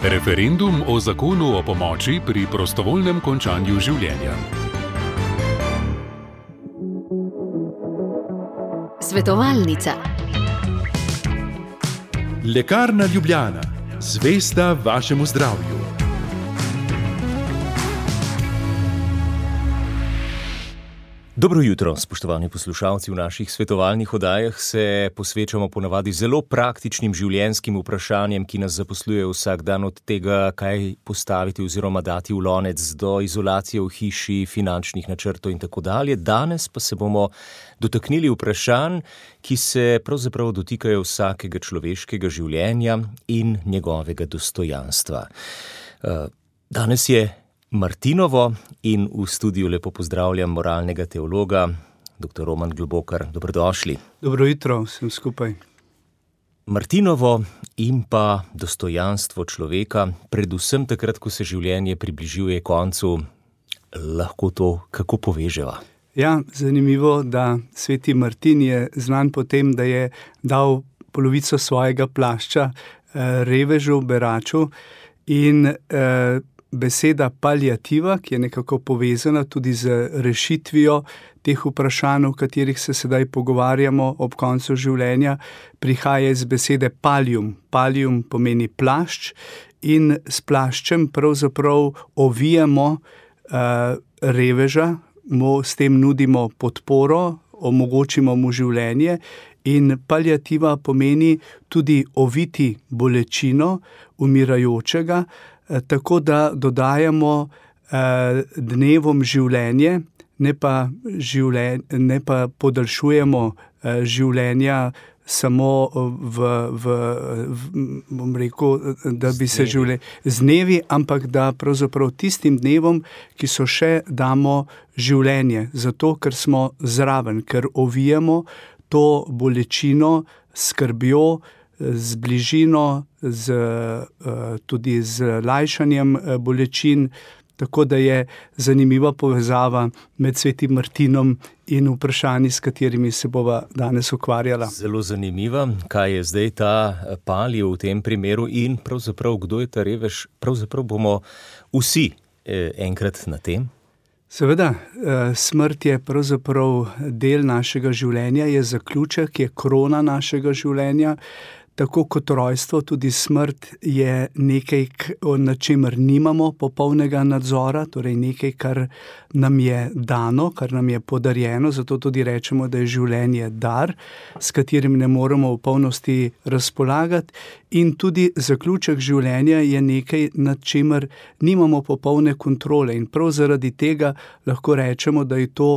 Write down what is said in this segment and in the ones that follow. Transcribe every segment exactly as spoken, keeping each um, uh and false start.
Referendum o zakonu o pomoči pri prostovoljnem končanju življenja. Svetovalnica. Lekarna Ljubljana. Zvesta vašemu zdravju. Dobro jutro, spoštovani poslušalci. V naših svetovalnih oddajah se posvečamo ponavadi zelo praktičnim življenjskim vprašanjem, ki nas zaposlujejo vsak dan, od tega, kaj postaviti oziroma dati v lonec, do izolacije v hiši, finančnih načrtov in tako dalje. Danes pa se bomo dotaknili vprašanj, ki se pravzaprav dotikajo vsakega človeškega življenja in njegovega dostojanstva. Danes je Martinovo in v studiu lepo pozdravljam moralnega teologa, doktor Roman Globokar. Dobrodošli. Dobro jutro vsem skupaj. Martinovo in pa dostojanstvo človeka, predvsem takrat, ko se življenje približuje koncu, lahko to kako poveževa? Ja, zanimivo, da sveti Martin je znan po tem, da je dal polovico svojega plašča eh, revežu, beraču in eh, beseda paliativa, ki je nekako povezana tudi z rešitvijo teh vprašanj, o katerih se sedaj pogovarjamo ob koncu življenja, prihaja iz besede palium. Palium pomeni plašč in s plaščem pravzaprav ovijamo uh, reveža, mu s tem nudimo podporo, omogočimo mu življenje. In paliativa pomeni tudi oviti bolečino umirajočega, tako da dodajamo eh, dnevom življenje, ne pa, življen, ne pa podaljšujemo eh, življenja samo v, v, v, bom rekel, da bi se življenje z dnevi, ampak da pravzaprav tistim dnevom, ki so še, damo življenje, zato ker smo zraven, ker ovijamo to bolečino, skrbjo, z bližino, z, tudi z lajšanjem bolečin, tako da je zanimiva povezava med svetim Martinom in vprašanji, s katerimi se bova danes ukvarjala. Zelo zanimiva, kaj je zdaj ta palio v tem primeru in pravzaprav kdo je ta revež, pravzaprav bomo vsi enkrat na tem. Seveda, smrt je pravzaprav del našega življenja, je zaključek, je krona našega življenja. Tako kot rojstvo, tudi smrt je nekaj, na čemer nimamo popolnega nadzora, torej nekaj, kar nam je dano, kar nam je podarjeno, zato tudi rečemo, da je življenje dar, s katerim ne moremo v polnosti razpolagati, in tudi zaključek življenja je nekaj, nad čemer nimamo popolne kontrole, in prav zaradi tega lahko rečemo, da je to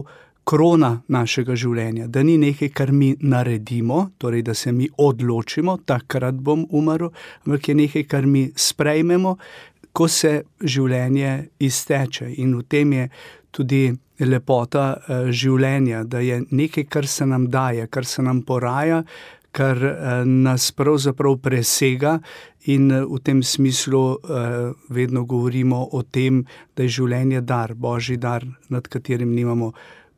krona našega življenja, da ni nekaj, kar mi naredimo, torej da se mi odločimo, takrat bom umrl, ampak je nekaj, kar mi sprejmemo, ko se življenje izteče. In v tem je tudi lepota življenja, da je nekaj, kar se nam daje, kar se nam poraja, kar nas pravzaprav presega, in v tem smislu vedno govorimo o tem, da je življenje dar, Božji dar, nad katerim nimamo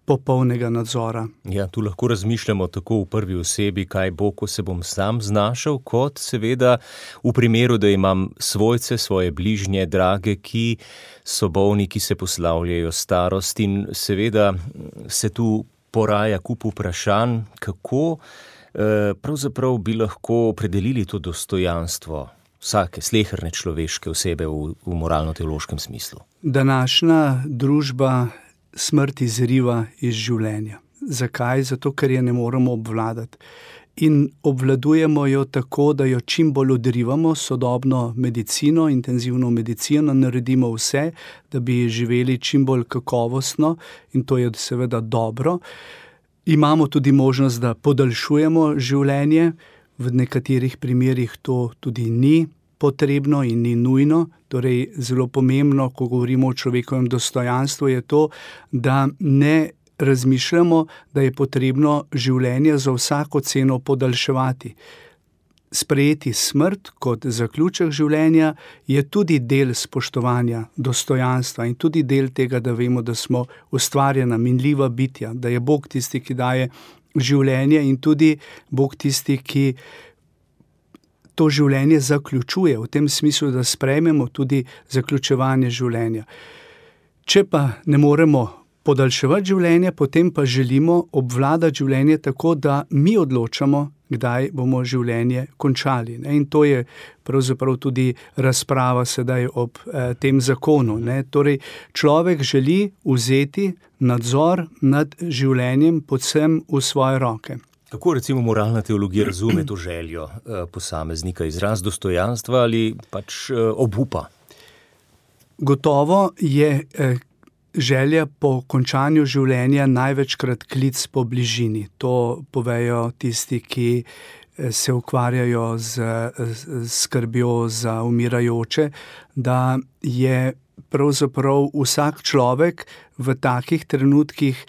popolnega nadzora. Ja, tu lahko razmišljamo tako v prvi osebi, kaj bo, ko se bom sam znašel, kot seveda v primeru, da imam svojce, svoje bližnje, drage, ki so bolni, ki se poslavljajo starost, in seveda se tu poraja kup vprašanj, kako eh, pravzaprav bi lahko opredelili to dostojanstvo vsake sleherne človeške osebe v, v moralno-teološkem smislu. Današnja družba smrt izriva iz življenja. Zakaj? Zato, ker je ne moremo obvladati. In obvladujemo jo tako, da jo čim bolj odrivamo, sodobno medicino, intenzivno medicino, naredimo vse, da bi živeli čim bolj kakovostno, in to je seveda dobro. Imamo tudi možnost, da podaljšujemo življenje, v nekaterih primerih to tudi ni potrebno in ni nujno. Torej, zelo pomembno, ko govorimo o človekovem dostojanstvu, je to, da ne razmišljamo, da je potrebno življenje za vsako ceno podaljševati. Sprejeti smrt kot zaključek življenja je tudi del spoštovanja dostojanstva in tudi del tega, da vemo, da smo ustvarjena, minljiva bitja, da je Bog tisti, ki daje življenje, in tudi Bog tisti, ki to življenje zaključuje, v tem smislu, da sprejmemo tudi zaključevanje življenja. Če pa ne moremo podaljševati življenje, potem pa želimo obvladati življenje tako, da mi odločamo, kdaj bomo življenje končali. Ne? In to je pravzaprav tudi razprava sedaj ob eh, tem zakonu. Ne? Torej, človek želi vzeti nadzor nad življenjem predvsem v svoje roke. Kako recimo moralna teologija razume to željo eh, posameznika, izraz dostojanstva ali pač eh, obupa? Gotovo je eh, želja po končanju življenja največkrat klic po bližini. To povejo tisti, ki se ukvarjajo z, z skrbjo za umirajoče, da je pravzaprav vsak človek v takih trenutkih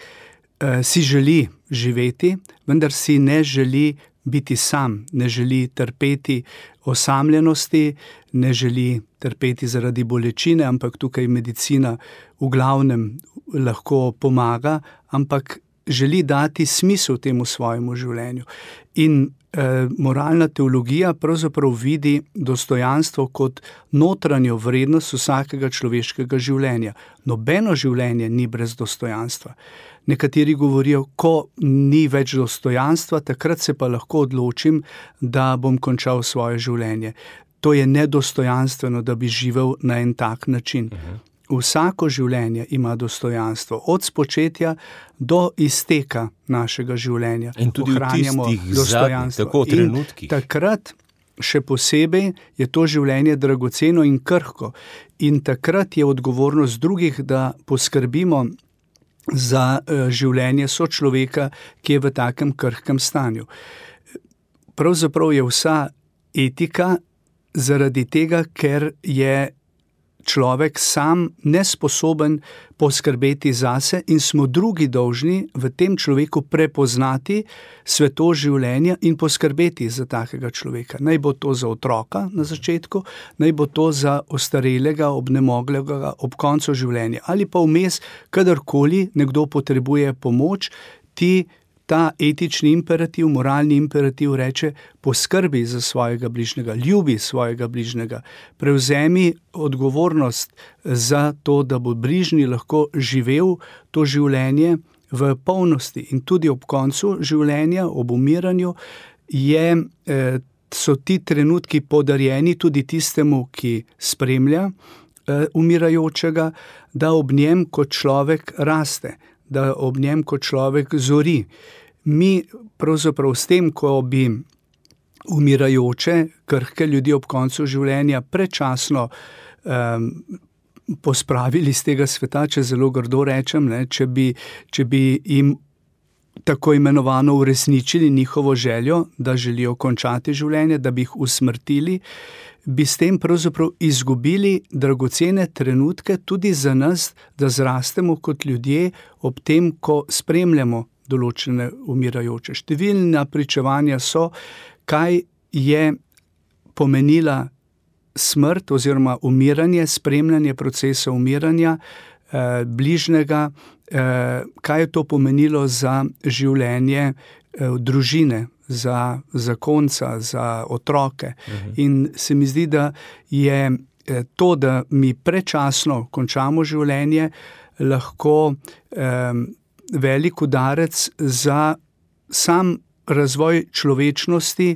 eh, si želi živeti, vendar si ne želi biti sam, ne želi trpeti osamljenosti, ne želi trpeti zaradi bolečine, ampak tukaj medicina v glavnem lahko pomaga, ampak želi dati smisel temu svojemu življenju. In eh, moralna teologija pravzaprav vidi dostojanstvo kot notranjo vrednost vsakega človeškega življenja. Nobeno življenje ni brez dostojanstva. Nekateri govorijo, ko ni več dostojanstva, takrat se pa lahko odločim, da bom končal svoje življenje. To je nedostojanstveno, da bi živel na en tak način. Uh-huh. Vsako življenje ima dostojanstvo, od spočetja do izteka našega življenja. In tudi v tistih zadnjih, tako trenutkih. In takrat še posebej je to življenje dragoceno in krhko. In takrat je odgovornost drugih, da poskrbimo za življenje sočloveka, ki je v takem krhkem stanju. Pravzaprav je vsa etika zaradi tega, ker je človek sam nesposoben poskrbeti zase in smo drugi dolžni v tem človeku prepoznati svetost življenja in poskrbeti za takega človeka. Naj bo to za otroka na začetku, naj bo to za ostarelega, obnemoglega ob koncu življenja. Ali pa vmes, kadarkoli nekdo potrebuje pomoč, ti ta etični imperativ, moralni imperativ reče, poskrbi za svojega bližnjega, ljubi svojega bližnjega, prevzemi odgovornost za to, da bo bližnji lahko živel to življenje v polnosti. In tudi ob koncu življenja, ob umiranju, je, eh, so ti trenutki podarjeni tudi tistemu, ki spremlja eh, umirajočega, da ob njem kot človek raste, da ob njem kot človek zori. Mi pravzaprav s tem, ko bi umirajoče, krhke ljudi ob koncu življenja prečasno um, pospravili z tega sveta, če zelo grdo rečem, ne, če bi, če bi jim tako imenovano uresničili njihovo željo, da želijo končati življenje, da bi jih usmrtili, bi s tem pravzaprav izgubili dragocene trenutke tudi za nas, da zrastemo kot ljudje ob tem, ko spremljamo določene umirajoče. Številna pričevanja so, kaj je pomenila smrt oziroma umiranje, spremljanje procesa umiranja eh, bližnjega, eh, kaj je to pomenilo za življenje eh, družine, za zakonca, za otroke. Uh-huh. In se mi zdi, da je to, da mi prečasno končamo življenje, lahko eh, velik udarec za sam razvoj človečnosti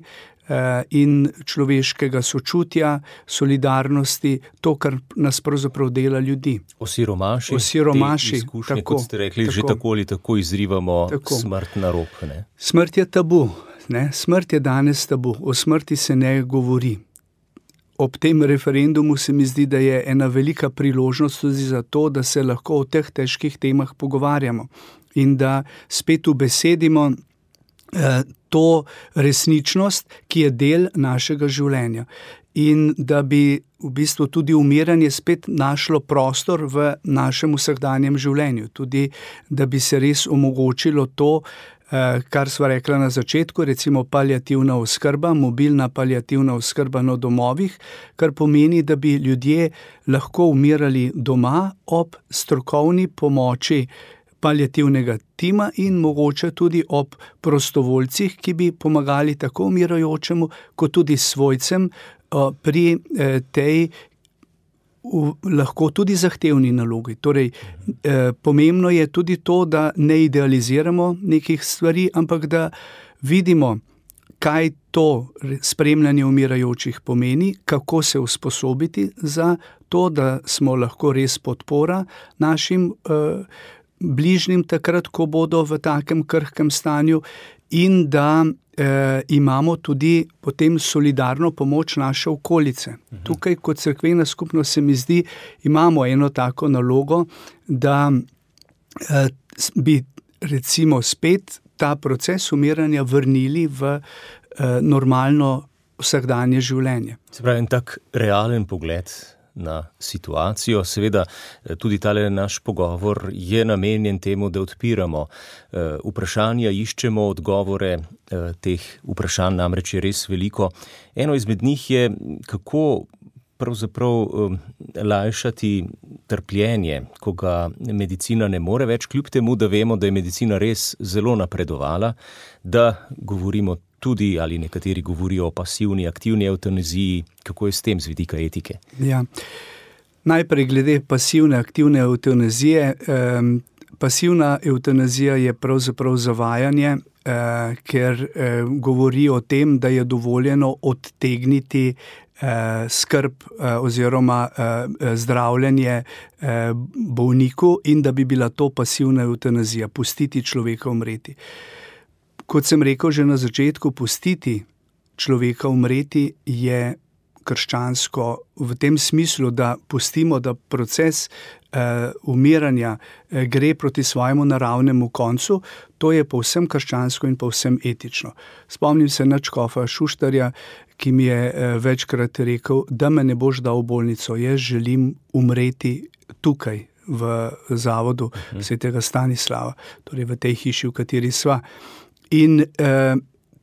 eh, in človeškega sočutja, solidarnosti, to, kar nas pravzaprav dela ljudi. Osiromaši, Osiromaši te izkušnje, tako, kot ste rekli, tako, že tako ali tako izrivamo tako. Smrt na rob. Ne? Smrt je tabu. Ne? Smrt je danes tabu. O smrti se ne govori. Ob tem referendumu se mi zdi, da je ena velika priložnost tudi za to, da se lahko o teh težkih temah pogovarjamo in da spet ubesedimo eh, to resničnost, ki je del našega življenja. In da bi v bistvu tudi umiranje spet našlo prostor v našem vsakdanjem življenju. Tudi, da bi se res omogočilo to, kar sva rekla na začetku, recimo paliativna oskrba, mobilna paliativna oskrba na domovih, kar pomeni, da bi ljudje lahko umirali doma ob strokovni pomoči paliativnega tima in mogoče tudi ob prostovoljcih, ki bi pomagali tako umirajočemu, kot tudi svojcem pri tej v, lahko tudi zahtevni nalogi. Torej, eh, pomembno je tudi to, da ne idealiziramo nekih stvari, ampak da vidimo, kaj to spremljanje umirajočih pomeni, kako se usposobiti za to, da smo lahko res podpora našim eh, bližnjim takrat, ko bodo v takem krhkem stanju, in da eh, imamo tudi potem solidarno pomoč naše okolice. Mhm. Tukaj kot cerkvena skupnost se mi zdi, imamo eno tako nalogo, da eh, bi recimo spet ta proces umiranja vrnili v eh, normalno vsakdanje življenje. Se pravi, en tak realen pogled na situacijo. Seveda tudi tale naš pogovor je namenjen temu, da odpiramo eh, vprašanja, iščemo odgovore, eh, teh vprašanj namreč je res veliko. Eno izmed njih je, kako pravzaprav eh, lajšati trpljenje, ko ga medicina ne more več, kljub temu, da vemo, da je medicina res zelo napredovala, da govorimo tudi, ali nekateri govorijo o pasivni, aktivni evtanaziji. Kako je s tem z vidika etike? Ja. Najprej glede pasivne, aktivne evtanazije. Eh, pasivna evtanazija je pravzaprav zavajanje, eh, ker eh, govori o tem, da je dovoljeno odtegniti eh, skrb eh, oziroma eh, zdravljenje eh, bolniku in da bi bila to pasivna evtanazija, pustiti človeka umreti. Kot sem rekel že na začetku, pustiti človeka umreti je krščansko v tem smislu, da pustimo, da proces eh, umiranja eh, gre proti svojemu naravnemu koncu. To je povsem krščansko in povsem etično. Spomnim se na škofa Šuštarja, ki mi je eh, večkrat rekel, da me ne boš dal v bolnico, jaz želim umreti tukaj v zavodu uh-huh. svetega Stanislava, torej v tej hiši, v kateri sva. In eh,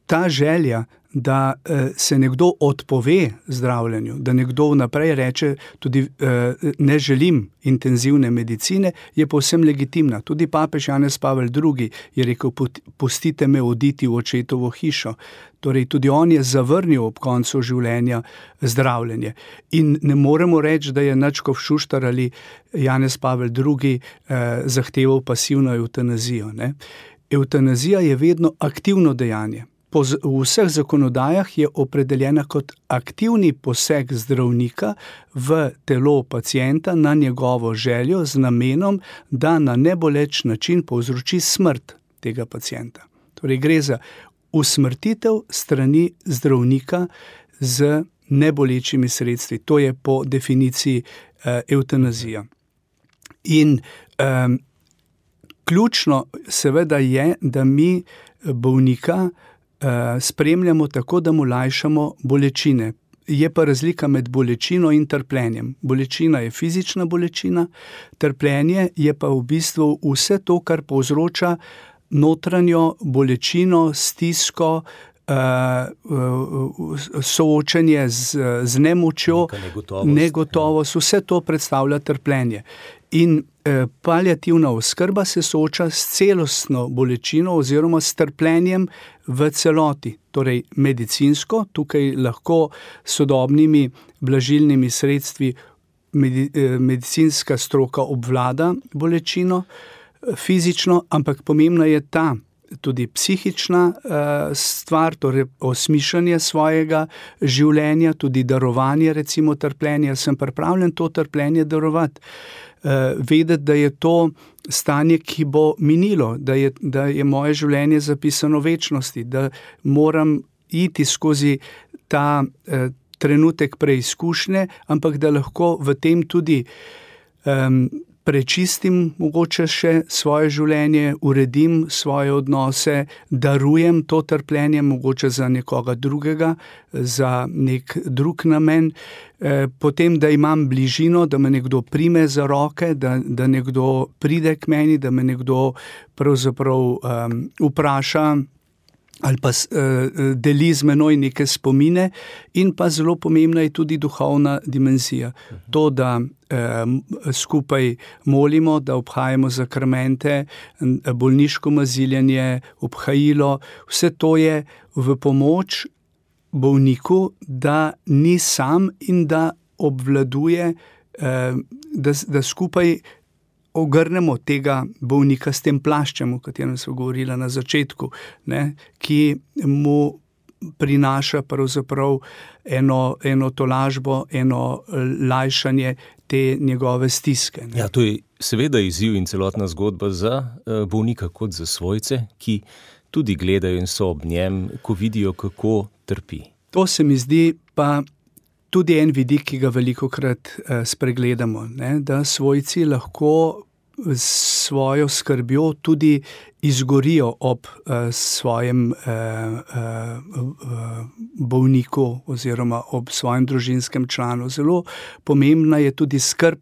ta želja, da eh, se nekdo odpove zdravljenju, da nekdo vnaprej reče tudi eh, ne želim intenzivne medicine, je povsem legitimna. Tudi papež Janez Pavel drugi je rekel, pustite me oditi v očetovo hišo. Torej tudi on je zavrnil ob koncu življenja zdravljenje. In ne moremo reči, da je Nadškof Šuštar ali Janez Pavel drugi eh, zahteval pasivno evtanazijo, ne. Evtanazija je vedno aktivno dejanje. Po z, v vseh zakonodajah je opredeljena kot aktivni poseg zdravnika v telo pacienta na njegovo željo z namenom, da na neboleč način povzroči smrt tega pacienta. Torej gre za usmrtitev strani zdravnika z nebolečimi sredstvi. To je po definiciji eh, evtanazija. In eh, ključno seveda je, da mi bolnika uh, spremljamo tako, da mu lajšamo bolečine. Je pa razlika med bolečino in trpljenjem. Bolečina je fizična bolečina, trpljenje je pa v bistvu vse to, kar povzroča notranjo bolečino, stisko, uh, uh, soočenje z, z nemočjo, negotovost, negotovost, vse to predstavlja trpljenje. In eh, paliativna oskrba se sooča s celostno bolečino oziroma s trpljenjem v celoti. Torej medicinsko, tukaj lahko sodobnimi blažilnimi sredstvi medi, eh, medicinska stroka obvlada bolečino, eh, fizično, ampak pomembna je ta tudi psihična uh, stvar, torej osmišljanje svojega življenja, tudi darovanje recimo trpljenja. Sem pripravljen to trpljenje darovati. Uh, vedeti, da je to stanje, ki bo minilo, da je, da je moje življenje zapisano v večnosti, da moram iti skozi ta uh, trenutek preizkušnje, ampak da lahko v tem tudi um, prečistim mogoče še svoje življenje, uredim svoje odnose, darujem to trpljenje mogoče za nekoga drugega, za nek drug namen, e, potem, da imam bližino, da me nekdo prime za roke, da, da nekdo pride k meni, da me nekdo pravzaprav um, vpraša, ali pa deli z menoj neke spomine, in pa zelo pomembna je tudi duhovna dimenzija. To, da skupaj molimo, da obhajamo zakramente, bolniško maziljenje, obhajilo, vse to je v pomoč bolniku, da ni sam in da obvladuje, da, da skupaj ogrnemo tega bolnika s tem plaščem, o katerem smo govorili na začetku, ne, ki mu prinaša pravzaprav eno, eno tolažbo, eno lajšanje te njegove stiske. Ne. Ja, to je seveda izziv in celotna zgodba za bolnika kot za svojce, ki tudi gledajo in so ob njem, ko vidijo, kako trpi. To se mi zdi pa tudi en vidik, ki ga velikokrat eh, spregledamo, ne? Da svojci lahko s svojo skrbjo tudi izgorijo ob eh, svojem eh, eh, bolniku oziroma ob svojem družinskem članu. Zelo pomembna je tudi skrb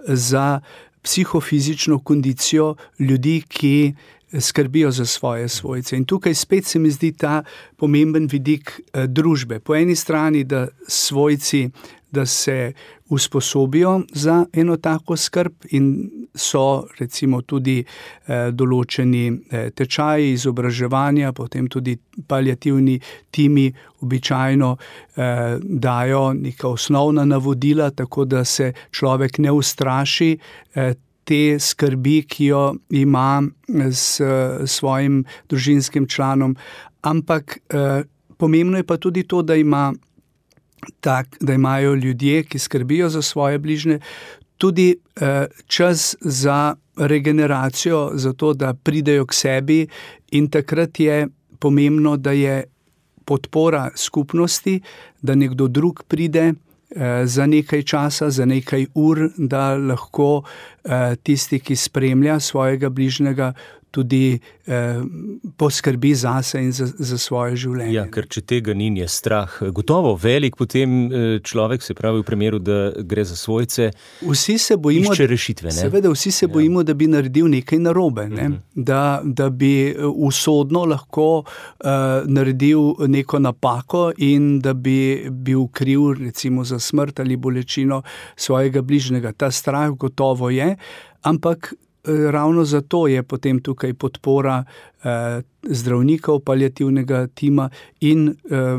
za psihofizično kondicijo ljudi, ki skrbijo za svoje svojce. In tukaj spet se mi zdi ta pomemben vidik eh, družbe. Po eni strani, da svojci, da se usposobijo za eno tako skrb in so recimo tudi eh, določeni eh, tečaji izobraževanja, potem tudi paliativni timi običajno eh, dajo neka osnovna navodila, tako da se človek ne ustraši eh, te skrbi, ki jo ima s svojim družinskim članom. Ampak eh, pomembno je pa tudi to, da ima tak, da imajo ljudje, ki skrbijo za svoje bližnje, tudi eh, čas za regeneracijo, za to, da pridejo k sebi, in takrat je pomembno, da je podpora skupnosti, da nekdo drug pride za nekaj časa, za nekaj ur, da lahko eh, tisti, ki spremlja svojega bližnjega, tudi eh, poskrbi zase in za, za svoje življenje. Ja, ker če tega ni, je strah gotovo velik, potem človek, se pravi v primeru, da gre za svojce, vsi se bojimo, išče rešitve. Ne? Seveda, vsi se bojimo, ja. Da bi naredil nekaj narobe, ne? Uh-huh. da, da bi usodno lahko uh, naredil neko napako in da bi bil kriv recimo za smrt ali bolečino svojega bližnjega. Ta strah gotovo je, ampak ravno zato je potem tukaj podpora eh, zdravnikov, paliativnega tima in eh,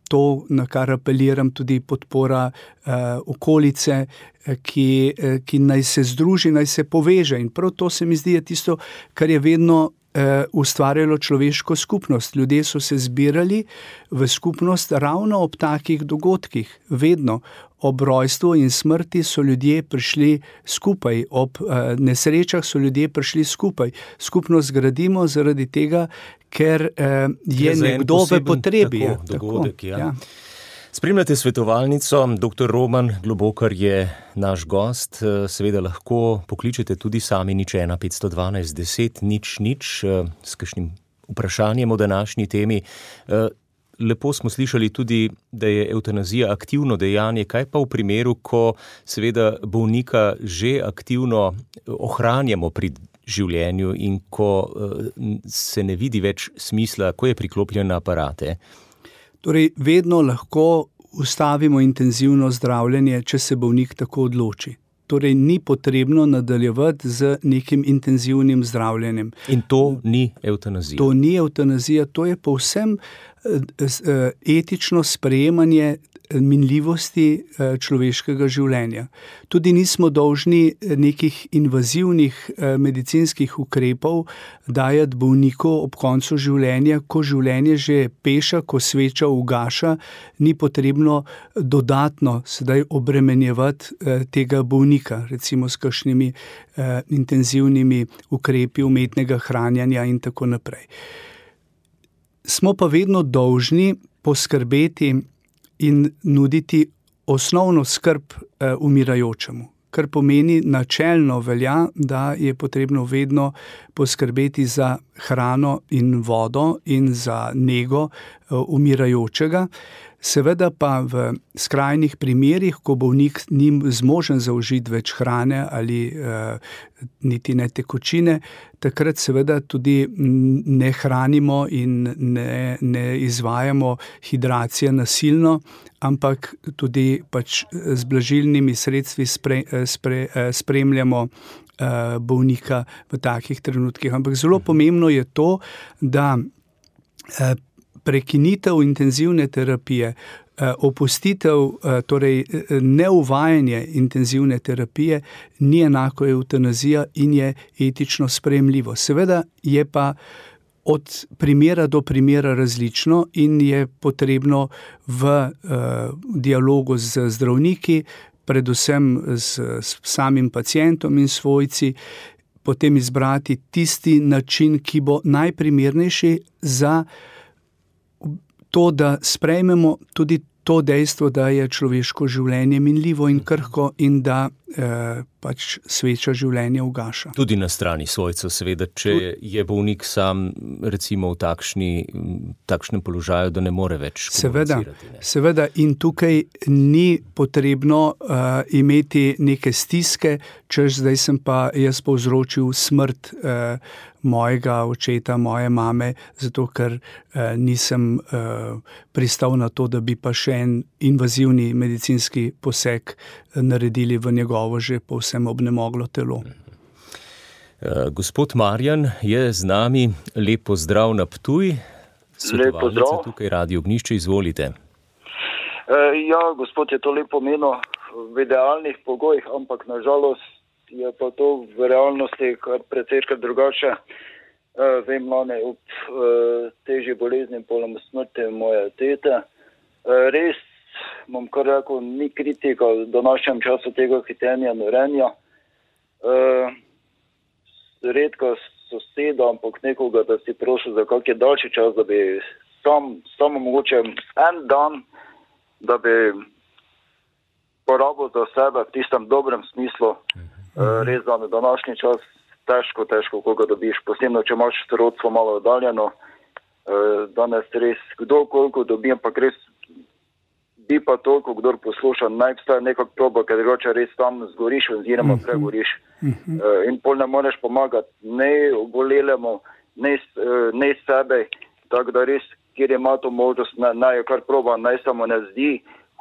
to, na kar apeliram, tudi podpora eh, okolice, eh, ki, eh, ki naj se združi, naj se poveže. In prav to se mi zdi je tisto, kar je vedno eh, ustvarjalo človeško skupnost. Ljudje so se zbirali v skupnost ravno ob takih dogodkih, vedno. Ob rojstvu in smrti so ljudje prišli skupaj, ob uh, nesrečah so ljudje prišli skupaj. Skupnost gradimo zaradi tega, ker uh, je nekdo v potrebi. Tako, dogodek, ja. Ja. Spremljate svetovalnico, doktor Roman Globokar je naš gost. Seveda lahko pokličete tudi sami nič ena petsto dvanajst deset nič nič s kakšnim vprašanjem o današnji temi. Lepo smo slišali tudi, da je evtanazija aktivno dejanje. Kaj pa v primeru, ko seveda bolnika že aktivno ohranjamo pri življenju in ko se ne vidi več smisla, ko je priklopljen na aparate? Torej, vedno lahko ustavimo intenzivno zdravljenje, če se bolnik tako odloči. Torej, ni potrebno nadaljevati z nekim intenzivnim zdravljenjem. In to ni evtanazija? To ni evtanazija, to je povsem etično sprejemanje minljivosti človeškega življenja. Tudi nismo dolžni nekih invazivnih medicinskih ukrepov dajati bolniku ob koncu življenja, ko življenje že peša, ko sveča ugaša, ni potrebno dodatno sedaj obremenjevati tega bolnika, recimo s kakšnimi intenzivnimi ukrepi umetnega hranjanja in tako naprej. Smo pa vedno dolžni poskrbeti in nuditi osnovno skrb eh, umirajočemu, kar pomeni načelno velja, da je potrebno vedno poskrbeti za hrano in vodo in za nego umirajočega. Seveda pa v skrajnih primerih, ko bolnik ni zmožen zaužiti več hrane ali uh, niti ne tekočine, takrat seveda tudi ne hranimo in ne, ne izvajamo hidracije nasilno, ampak tudi pač z blažilnimi sredstvi spre, spre, spremljamo uh, bolnika v takih trenutkih. Ampak zelo pomembno je to, da uh, prekinitev intenzivne terapije, opustitev, torej neuvajanje intenzivne terapije ni enako eutanazija in je etično sprejemljivo. Seveda je pa od primera do primera različno in je potrebno v dialogu z zdravniki, predvsem s samim pacientom in svojci, potem izbrati tisti način, ki bo najprimernejši za to, da sprejmemo tudi to dejstvo, da je človeško življenje minljivo in krhko in da eh, pač sveča življenje ugaša. Tudi na strani svojcev, seveda, če je bolnik sam recimo v takšni, takšnem položaju, da ne more več komunicirati. Seveda, seveda in tukaj ni potrebno uh, imeti neke stiske, češ zdaj sem pa jaz povzročil smrt uh, mojega očeta, moje mame, zato ker uh, nisem uh, pristal na to, da bi pa še en invazivni medicinski poseg naredili v njegovo že povsem obnemoglo telo. Gospod Marjan je z nami. Lep pozdrav na Ptuj. Lep pozdrav. Tukaj Radio Ognjišče, izvolite. E, ja, gospod je to lepo omenil v idealnih pogojih, ampak nažalost je pa to v realnosti kar precejkrat drugače. E, vem, lani ob e, težji bolezni polom smrti moje tete. E, res, bom kar rekel, ni kritika v današnjem času tega hitenja, norenja. E, redka soseda, ampak nekoga, da si prosil za kakšen daljši čas, da bi sam, samo mogoče en dan, da bi porabil za sebe v tistem dobrem smislu. E, res da na današnji čas težko, težko koga dobiš, posebno, če imaš sorodstvo malo oddaljeno. E, danes res kdo koliko dobi, ampak res bi pa toliko, kdor posluša, naj vstaje nekak proba, ker drugače res tam zgoriš oziroma pregoriš. Uh-huh. Uh, in pol ne moreš pomagati ne obolelemu, ne, ne sebe, tako da res, kjer ima to možnost, naj, naj kar proba, naj samo ne zdi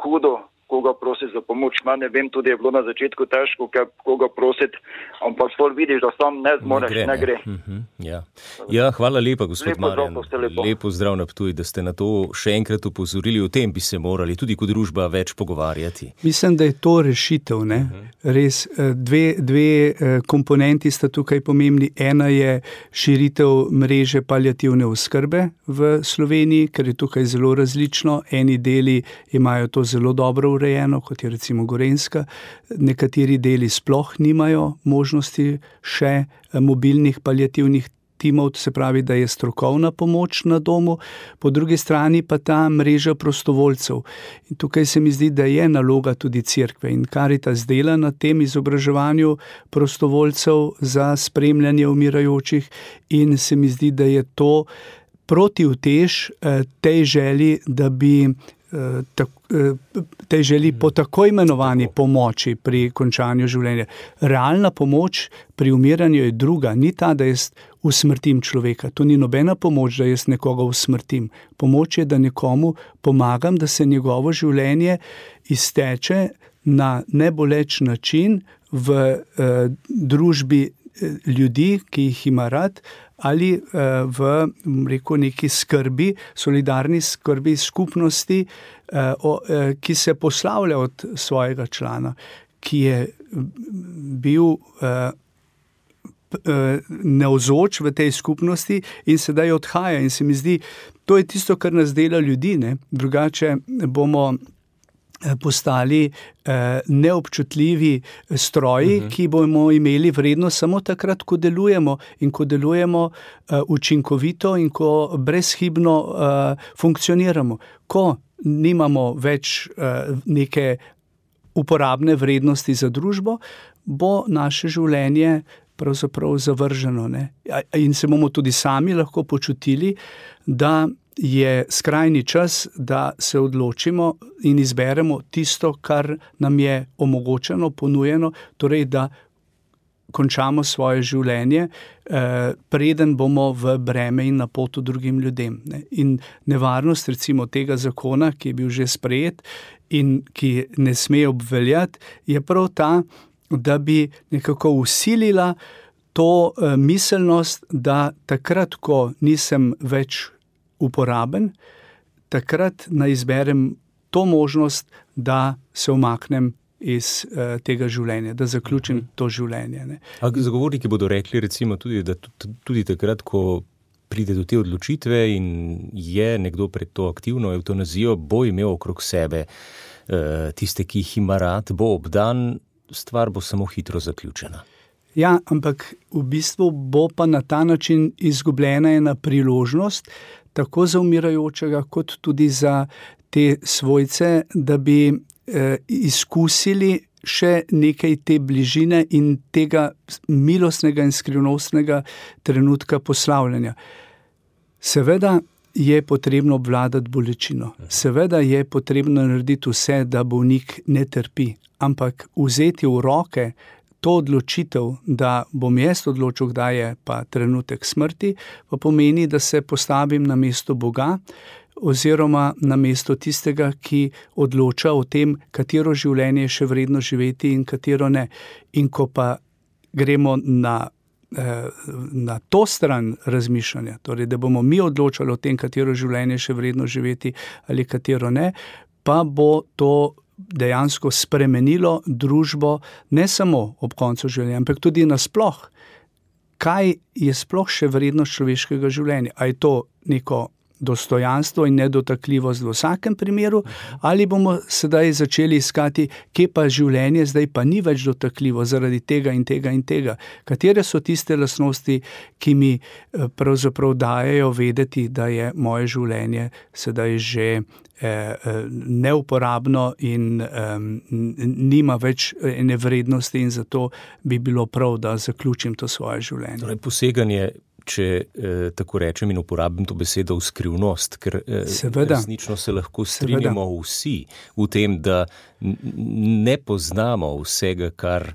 hudo, koga prositi za pomoč. Mene vem, tudi je bilo na začetku težko, koga prositi, ampak pol vidiš, da sam ne zmoreš, ne gre. Ne gre. Uh-huh. Ja. ja, hvala lepa, gospod lepo Marjan. Lepo. lepo zdrav na Ptuj, da ste na to še enkrat upozorili. O tem bi se morali tudi kot družba več pogovarjati. Mislim, da je to rešitev. Ne? Uh-huh. Res, dve, dve komponenti sta tukaj pomembni. Ena je širitev mreže paliativne oskrbe v Sloveniji, ker je tukaj zelo različno. Eni deli imajo to zelo dobro urejeno, kot je recimo Gorenjska. Nekateri deli sploh nimajo možnosti še mobilnih paliativnih timov, se pravi, da je strokovna pomoč na domu, po drugi strani pa ta mreža prostovoljcev. In tukaj se mi zdi, da je naloga tudi cerkve in Karitas dela na tem izobraževanju prostovoljcev za spremljanje umirajočih in se mi zdi, da je to protivtež tej želji, da bi tej želi po tako imenovani pomoči pri končanju življenja. Realna pomoč pri umiranju je druga, ni ta, da jaz usmrtim človeka. To ni nobena pomoč, da jaz nekoga usmrtim. Pomoč je, da nekomu pomagam, da se njegovo življenje izteče na neboleč način v eh, družbi ljudi, ki jih ima rad, ali v rekel, neki skrbi, solidarni skrbi skupnosti, ki se poslavlja od svojega člana, ki je bil navzoč v tej skupnosti in sedaj odhaja. In se mi zdi, to je tisto, kar nas dela ljudi, ne? Drugače bomo postali eh, neobčutljivi stroji, uh-huh. ki bomo imeli vrednost samo takrat, ko delujemo in ko delujemo eh, učinkovito in ko brezhibno eh, funkcioniramo. Ko nimamo več eh, neke uporabne vrednosti za družbo, bo naše življenje pravzaprav zavrženo. Ne? In se bomo tudi sami lahko počutili, da je skrajni čas, da se odločimo in izberemo tisto, kar nam je omogočeno, ponujeno, torej da končamo svoje življenje, eh, preden bomo v breme in napoto drugim ljudem. Ne. In nevarnost recimo tega zakona, ki je bil že sprejet in ki ne sme obveljati, je prav ta, da bi nekako usilila to eh, miselnost, da takrat, ko nisem več uporaben, takrat naj izberem to možnost, da se umaknem iz uh, tega življenja, da zaključim to življenje. Ne. A zagovorniki bodo rekli recimo tudi, da tudi takrat, ko pride do te odločitve in je nekdo pred to aktivno evtanazijo, bo imel okrog sebe uh, tiste, ki jih ima rad, bo obdan, stvar bo samo hitro zaključena. Ja, ampak v bistvu bo pa na ta način izgubljena ena priložnost, tako za umirajočega, kot tudi za te svojce, da bi eh, izkusili še nekaj te bližine in tega milostnega in skrivnostnega trenutka poslavljanja. Seveda je potrebno obvladati bolečino, seveda je potrebno narediti vse, da bolnik ne trpi, ampak vzeti v roke to odločitev, da bom jaz odločil, kdaj je pa trenutek smrti, pa pomeni, da se postavim na mesto Boga oziroma na mesto tistega, ki odloča o tem, katero življenje je še vredno živeti in katero ne. In ko pa gremo na, na to stran razmišljanja, torej da bomo mi odločali o tem, katero življenje je še vredno živeti ali katero ne, pa bo to dejansko spremenilo družbo ne samo ob koncu življenja, ampak tudi nasploh. Kaj je sploh še vrednost človeškega življenja? A je to neko dostojanstvo in nedotakljivost v vsakem primeru, ali bomo sedaj začeli iskati, kje pa življenje zdaj pa ni več dotakljivo zaradi tega in tega in tega. Katere so tiste lastnosti, ki mi pravzaprav dajejo vedeti, da je moje življenje sedaj že neuporabno in um, nima več ene vrednosti in zato bi bilo prav, da zaključim to svoje življenje. Torej, poseganje, če eh, tako rečem in uporabim to besedo, v skrivnost, ker eh, resnično se lahko strinjamo Seveda. Vsi v tem, da ne poznamo vsega, kar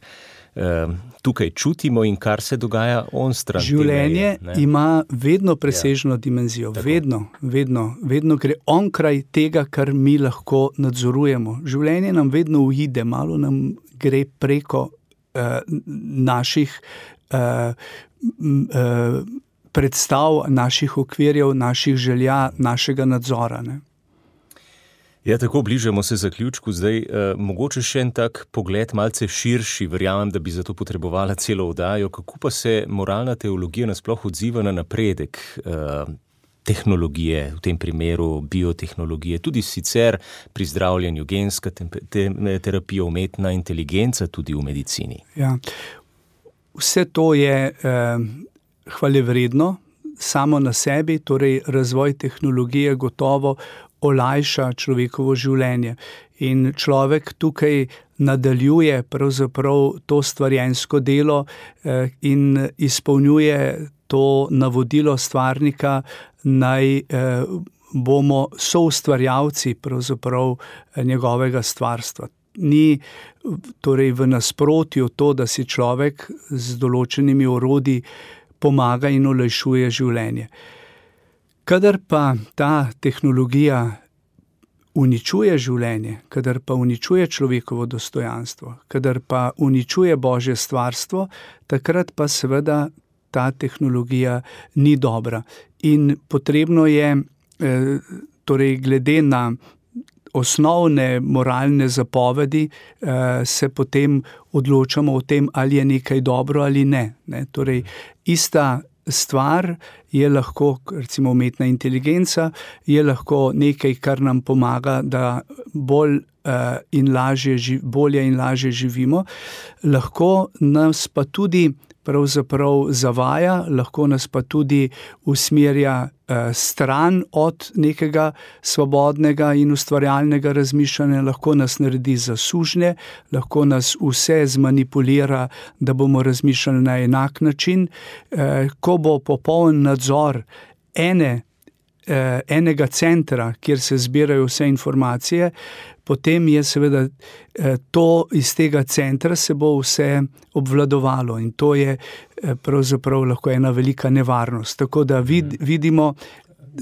tukaj čutimo in kar se dogaja onstran. Življenje meje, ima vedno presežno ja. dimenzijo, Tako. vedno, vedno, vedno gre onkraj tega, kar mi lahko nadzorujemo. Življenje nam vedno uide, malo nam gre preko uh, naših uh, uh, predstav, naših okvirjev, naših želja, našega nadzora. Ne? Ja, tako bližamo se zaključku. Zdaj, eh, mogoče še en tak pogled, malce širši, verjamem, da bi za to potrebovala celo oddajo. Kako pa se moralna teologija nasploh odziva na napredek eh, tehnologije, v tem primeru biotehnologije, tudi sicer pri zdravljenju, genska te, te, terapija, umetna inteligenca tudi v medicini? Ja, vse to je eh, hvalevredno samo na sebi, torej razvoj tehnologije gotovo olajša človekovo življenje. In človek tukaj nadaljuje pravzaprav to stvarjensko delo eh, in izpolnjuje to navodilo stvarnika, naj eh, bomo soustvarjalci pravzaprav njegovega stvarstva. Ni torej v nasprotju to, da si človek z določenimi orodji pomaga in olajšuje življenje. Kadar pa ta tehnologija uničuje življenje, kadar pa uničuje človekovo dostojanstvo, kadar pa uničuje Božje stvarstvo, takrat pa seveda ta tehnologija ni dobra. In potrebno je, torej glede na osnovne moralne zapovedi, se potem odločamo o tem, ali je nekaj dobro ali ne. ne? Torej, ista stvar je lahko, recimo umetna inteligenca, je lahko nekaj, kar nam pomaga, da bolj uh, in lažje, bolje in lažje živimo. Lahko nas pa tudi pravzaprav zavaja, lahko nas pa tudi usmerja eh, stran od nekega svobodnega in ustvarjalnega razmišljanja, lahko nas naredi za sužnje, lahko nas vse zmanipulira, da bomo razmišljali na enak način. Eh, ko bo popoln nadzor ene eh, enega centra, kjer se zbirajo vse informacije, potem je seveda eh, to iz tega centra se bo vse obvladovalo in to je eh, pravzaprav lahko ena velika nevarnost. Tako da vid, vidimo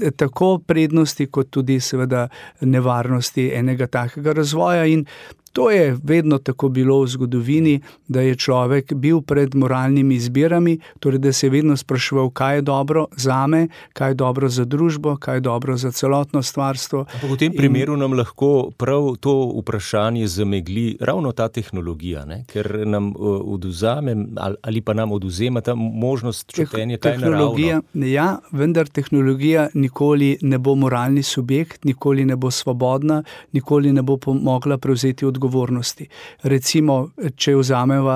eh, tako prednosti, kot tudi seveda nevarnosti enega takega razvoja in to je vedno tako bilo v zgodovini, da je človek bil pred moralnimi izbirami, torej da se je vedno spraševal, kaj je dobro zame, kaj je dobro za družbo, kaj je dobro za celotno stvarstvo. Ampak v tem primeru in nam lahko prav to vprašanje zamegli ravno ta tehnologija, ne? Ker nam odvzame ali pa nam odvzema ta možnost čutenja, kaj je naravno. Ja, vendar tehnologija nikoli ne bo moralni subjekt, nikoli ne bo svobodna, nikoli ne bo mogla prevzeti odgovornosti. Odgovornosti. Recimo, če vzameva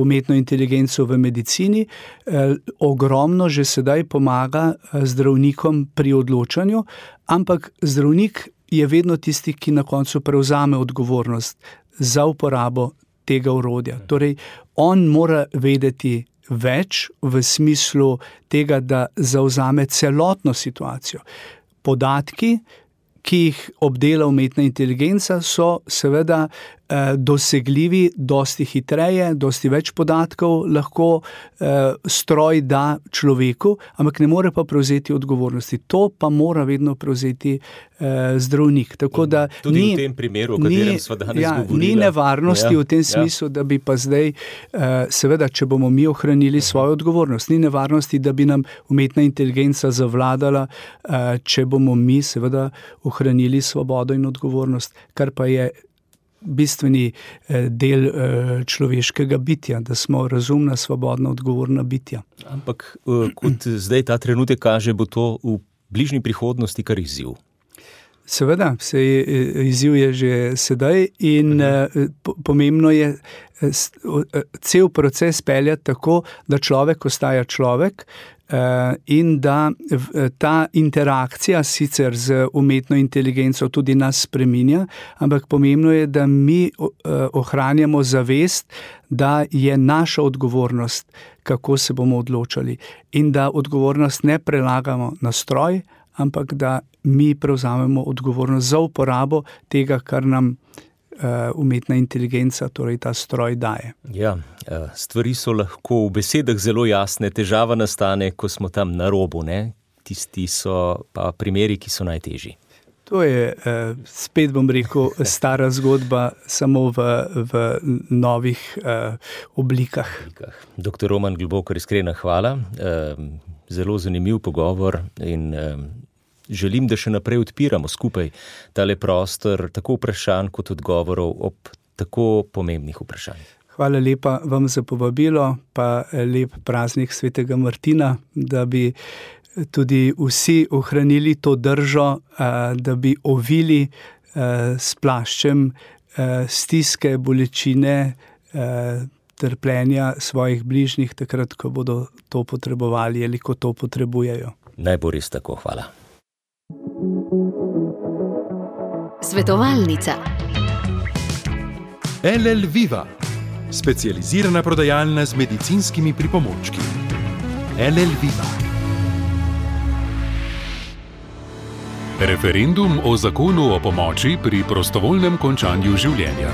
umetno inteligenco v medicini, eh, ogromno že sedaj pomaga zdravnikom pri odločanju, ampak zdravnik je vedno tisti, ki na koncu prevzame odgovornost za uporabo tega orodja. Torej, on mora vedeti več v smislu tega, da zavzame celotno situacijo. Podatki, ki jih obdela umetna inteligenca, so seveda eh, dosegljivi dosti hitreje, dosti več podatkov lahko eh, stroj da človeku, ampak ne more pa prevzeti odgovornosti. To pa mora vedno prevzeti eh, zdravnik. Tako da tudi ni, v tem primeru, o katerem sva danes ja, govorila. Ni nevarnosti ja, v tem smislu, ja. Da bi pa zdaj, eh, seveda, če bomo mi ohranili svojo odgovornost, ni nevarnosti, da bi nam umetna inteligenca zavladala, eh, če bomo mi seveda ohranili svobodo in odgovornost, kar pa je bistveni del človeškega bitja, da smo razumna, svobodna, odgovorna bitja. Ampak kot zdaj ta trenutek kaže, bo to v bližnji prihodnosti kar izziv. Seveda, se je, izziv je že sedaj in uh-huh. pomembno je cel proces peljati tako, da človek ostaja človek, in da ta interakcija sicer z umetno inteligenco tudi nas spreminja, ampak pomembno je, da mi ohranjamo zavest, da je naša odgovornost, kako se bomo odločali in da odgovornost ne prelagamo na stroj, ampak da mi prevzamemo odgovornost za uporabo tega, kar nam umetna inteligenca, torej ta stroj daje. Ja, stvari so lahko v besedah zelo jasne, težava nastane, ko smo tam na robu, ne? Tisti so pa primeri, ki so najtežji. To je, spet bom rekel, stara zgodba, samo v, v novih oblikah. Doktor Roman Globokar, iskrena hvala, zelo zanimiv pogovor in želim, da še naprej odpiramo skupaj tale prostor tako vprašanj kot odgovorov ob tako pomembnih vprašanjih. Hvala lepa vam za povabilo, pa lep praznik svetega Martina, da bi tudi vsi ohranili to držo, da bi ovili s plaščem stiske, bolečine, trpljenja svojih bližnjih, takrat, ko bodo to potrebovali ali ko to potrebujejo. Naj bo res tako, hvala. Svetovalnica. L L Viva, specializirana prodajalna z medicinskimi pripomočki. L L Viva. Referendum o zakonu o pomoči pri prostovoljnem končanju življenja.